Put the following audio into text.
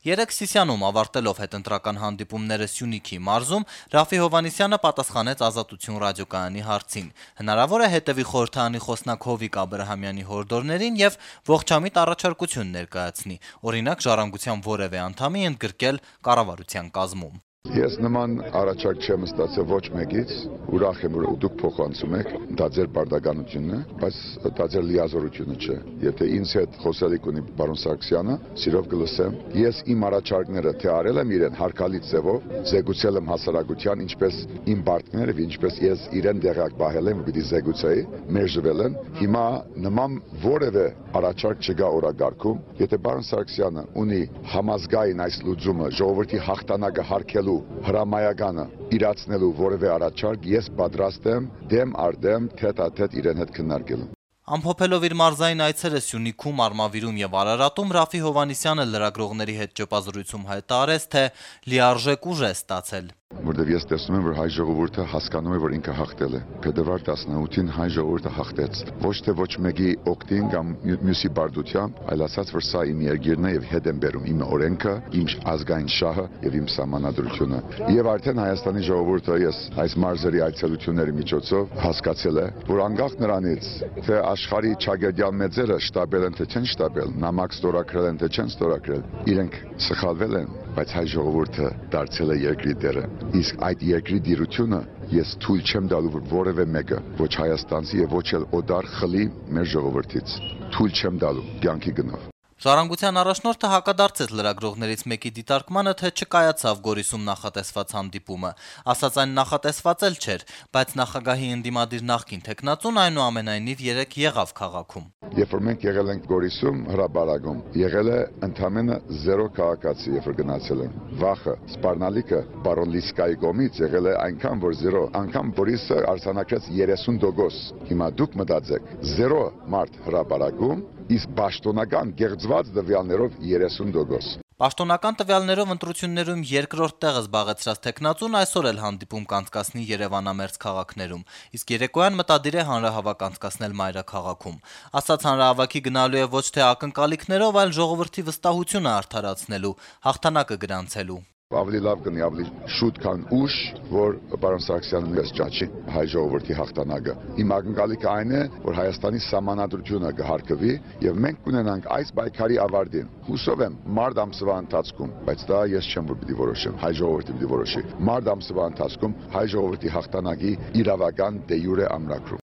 Երեկ Սիսիանում ավարտելով հետընտրական հանդիպումները Սյունիքի մարզում Ռաֆի Հովհաննիսյանը պատասխանեց Ազատություն ռադիոկայանի հարցին. հնարավոր է հետևի խորհրդարանի խոսնակ Հովիկ Աբրահամյանի հորդորներին եւ ողջամիտ առաջարկություն ներկայացնի, օրինակ Ժառանգության որեւէ անդամի ընդգրկել կառավարության կազմում։ Ես նման առաջարկ չեմ ստացել ոչ մեկից, ուրախ եմ, որ դուք փոխանցում եք, դա ձեր բարդականությունն է, բայց դա ձեր լիազորությունը չէ։ Եթե ինձ հետ խոսելիք ունի պարոն Սարգսյանը, սիրով կլսեմ։ Ես իմ առաջարկները թե արել եմ իրեն հարկալից ձևով, զեկուցել եմ հասարակության, ինչպես իմ բարդները, ինչպես ես իրեն դեղակ պահել եմ, պիտի զեկուցեի, մերժվել են։ Հիմա նման որևէ առաջարկ չկա օրակարգում, եթե պարոն Սարգսյանը ունի համազգային այս լուծումը, ժողովրդի հաղթանակը հարգելու հրամայականը իրացնելու որևէ առաջարկ, ես պատրաստ եմ դեմ առ դեմ թեթ-ա-թեթ իրեն հետ քննարկելու։ Ամփոփելով իր մարզային այցերը Սյունիքում, Արմավիրում եւ Արարատում Ռաֆի Հովհաննիսյանը լրագրողների հետ ճեպազրույցում հայտարարեց, թե լիարժեք ուժ է ստացել։ Որտեւ ես տեսնում եմ, որ հայ ժողովուրդը հասկանում է, որ ինքը հաղթել է։ Փետրվար 18-ին հայ ժողովուրդը հաղթեց։ Ոչ թե ոչ մեկի օգտին կամ մյուսի բարդությամբ, այլ ասած, որ սա իմ երկիրն է եւ հետ եմ բերում իմ օրենքը, իմ ազգային շահը եւ իմ սահմանադրությունը։ Եվ արդեն Հայաստանի ժողովուրդը ես այս մարզերի այցելությունների միջոցով հասկացել է, որ անկախ նրանից, թե աշխարհի ճագերդյալ մեծերը շտաբել են թե չեն շտաբել, նամակ ստորագրել են թե չեն ստորագրել, իրենք սխալվել են, բայց հայ ժողովուրդը դարձել է երկրի տերը։ Իսկ այդ երկրի դիրությունը ես թույլ չեմ տալու, որ որևէ մեկը, ոչ հայաստանցի եւ ոչ էլ օտար խլի մեր ժողովրդից։ Թույլ չեմ տալու կյանքի գնով։ Ժառանգության առաջնորդը հակադարձեց լրագրողներից մեկի դիտարկմանը, թե չկայացավ Գորիսում նախատեսված հանդիպումը, ասաց այն նախատեսված էլ չէր, բայց նախագահի ընդդիմադիր նախկին թեկնածուն այնուամենայնիվ երեկ եղավ քաղաքում։ Երբ որ մենք եղել ենք Գորիսում հրապարակում, եղել է ընդամենը 0 քաղաքացի, երբ որ գնացել են։ Վախը, սպառնալիքը պարոն Լիսկայի կողմից եղել է այնքան, որ 0, անգամ Գորիսը արձանագրեց 30%։ Հիմա դուք մտածեք, 0 մարդ հրապարակում, իսկ պաշտոնական գեղձված տվյալներով 30%։ Պաշտոնական տվյալներով ընտրություններում երկրորդ տեղը զբաղեցրած թեկնածուն այսօր էլ հանդիպում կանցկացնի Երևանամերձ քաղաքներում, իսկ երեկոյան մտադիր է հանրահավաք անցկացնել մայրաքաղաքում։ Ասաց հանրահավաքի գնալու է ոչ թե ակնկալիքներով, այլ ժողովրդի վստահությունը արդարացնելու, հաղթանակը գրանցելու։ Ավելի լավ կնի, ավելի շուտ քան ուշ, որ պարոն Սարգսյանը նույնպես ճաչի հայ ժողովրդի հաղթանակը։ Իմ ակնկալիքը այն է, որ Հայաստանի սահմանադրությունը կհարգվի եւ մենք կունենանք այս պայքարի ավարտին։ Հուսով եմ մարտ ամսվա ընթացքում, բայց դա ես չեմ որ պիտի որոշեմ, հայ ժողովուրդը պիտի որոշի։ Մարտ ամսվա ընթացքում հայ ժողովրդի հաղթանակի իրավական դե յուրե ամրագրում։